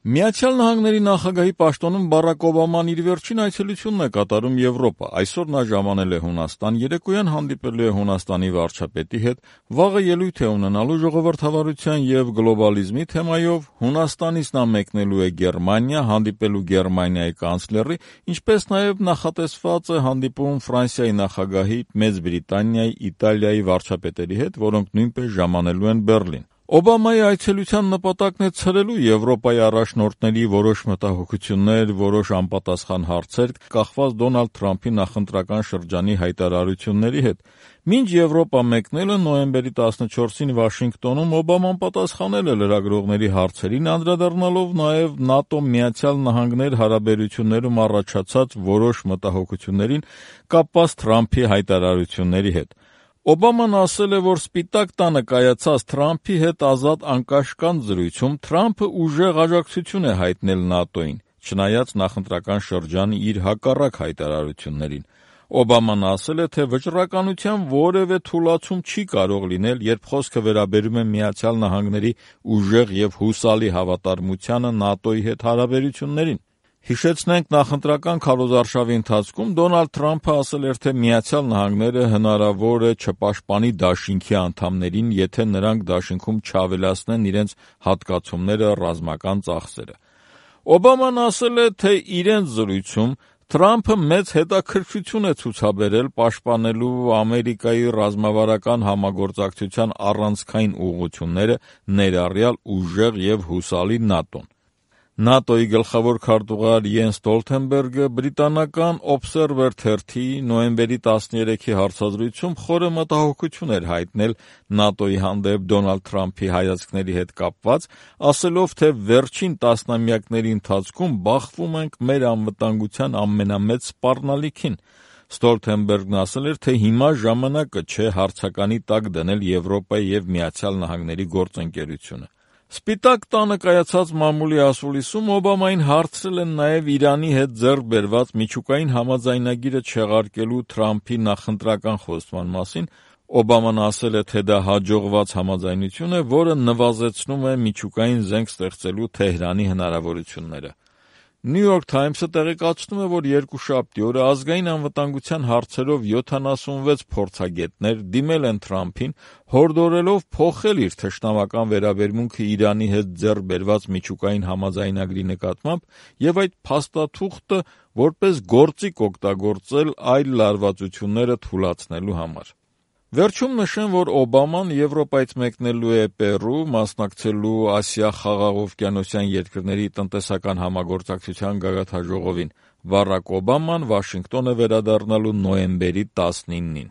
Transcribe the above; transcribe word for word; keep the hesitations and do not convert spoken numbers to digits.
Միացյալ Նահանգների նախագահի պաշտոնում Բարակ Օբաման իր վերջին այցելությունն է կատարում Եվրոպա։ Այսօր նա ժամանել է Հունաստան, երեկոյան հանդիպելու է Հունաստանի վարչապետի հետ, վաղը ելույթ է ունենալու ժողովրդավարության եւ գլոբալիզմի թեմայով, Հունաստանից նա մեկնելու է Գերմանիա, հանդիպելու Գերմանիայի կանցլերի, ինչպես նաեւ նախատեսված է հանդիպում Ֆրանսիայի նախագահի, Մեծ Բրիտանիայի, Իտալիայի վարչապետերի հետ, որոնք նույնպես ժամանելու են Բեռլին։ Օբամայի այցելության նպատակն է ցրելու Եվրոպայի առաջնորդների որոշ մտահոգություններ, որոշ անպատասխան հարցեր, կախված Դոնալդ Թրամփի նախընտրական շրջանի հայտարարությունների հետ։ Մինչ Եվրոպա մեկնելը նոյեմբերի տասնչորսին Վաշինգտոնում Օբաման պատասխանել է լրագրողների հարցերին, անդրադառնալով նաև ՆԱՏՕ-Միացյալ Նահանգներ հարաբերություններում առաջացած որոշ մտահոգություններին կապված Թրամփի հայտարարությունների հետ։ Օբաման ասել է, որ Սպիտակ տանը կայացած Թրամփի հետ ազատ անկաշկանդ զրույցում Թրամփը ուժեղ աջակցություն է հայտնել ՆԱՏՕ-ին, չնայած նախընտրական շրջանի իր հակառակ հայտարարություններին։ Օբաման ասել է, թե վճռականության որևէ թուլացում չի կարող լինել, երբ խոսքը վերաբերում է Միացյալ Նահանգների ուժեղ եւ հուսալի հավատարմությանը ՆԱՏՕ-ի հետ հարաբերություններին։ Հիշեցնենք, նախընտրական քարոզարշավի ընթացքում Դոնալդ Թրամփը ասել էր, թե Միացյալ Նահանգները հնարավոր է չպաշտպանի դաշինքի անդամներին, եթե նրանք դաշինքում չավելացնեն իրենց հատկացումները, ռազմական ծախսերը։ Օբաման ասել է, թե իրենց զրույցում Թրամփը մեծ հետաքրքրություն է ցուցաբերել պաշտպանելու Ամերիկայի ռազմավարական համագործակցության առանցքային ուղղությունները, ներառյալ ուժեղ եւ հուսալի ՆԱՏՕ-ն։ ՆԱՏՕ-ի գլխավոր քարտուղար Յենս Ստոլթենբերգը բրիտանական Observer թերթի նոյեմբերի տասներեքի հարցազրույցում խորը մտահոգություն էր հայտնել ՆԱՏՕ-ի հանդեպ Դոնալդ Թրամփի հայացքների հետ կապված, ասելով, թե վերջին տասնամյակների ընթացքում բախվում ենք մեր անվտանգության ամենամեծ սպառնալիքին։ Ստոլթենբերգն ասել էր, թե հիմա ժամանակը չէ հարցականի տակ դնել Եվրոպայի եւ Միացյալ Նահանգների գործընկերությունը։ Սպիտակ տանը կայացած մամուլի ասուլիսում Օբամային հարցրել են նաև Իրանի հետ ձեռք բերված միջուկային համաձայնագիրը չեղարկելու Թրամփի նախընտրական խոստման մասին։ Օբաման ասել է, թե դա հաջողված համաձայնություն է, որը նվազեցնում է միջուկային զենք ստեղծելու Թեհրանի հնարավորությունները։ New York Times-ը տեղեկացնում է, որ երկուշաբթի օրը ազգային անվտանգության հարցերով յոթանասունվեց փորձագետներ դիմել են Թրամփին, հորդորելով փոխել իր թշնամական վերաբերմունքը Իրանի հետ ձեռք բերված միջուկային համաձայնագրի նկատմամբ եւ այդ փաստաթուղթը որպես գործիք օգտագործել այլ լարվածությունները թուլացնելու համար։ Վերջում նշեմ, որ Օբաման Եվրոպայից մեկնելու է Պերու, մասնակցելու Ասիա-Խաղաղօվկիանոսյան երկրների տնտեսական համագործակցության գագաթնաժողովին։ Բարակ Օբաման Վաշինգտոն է վերադառնալու նոյեմբերի տասնինին։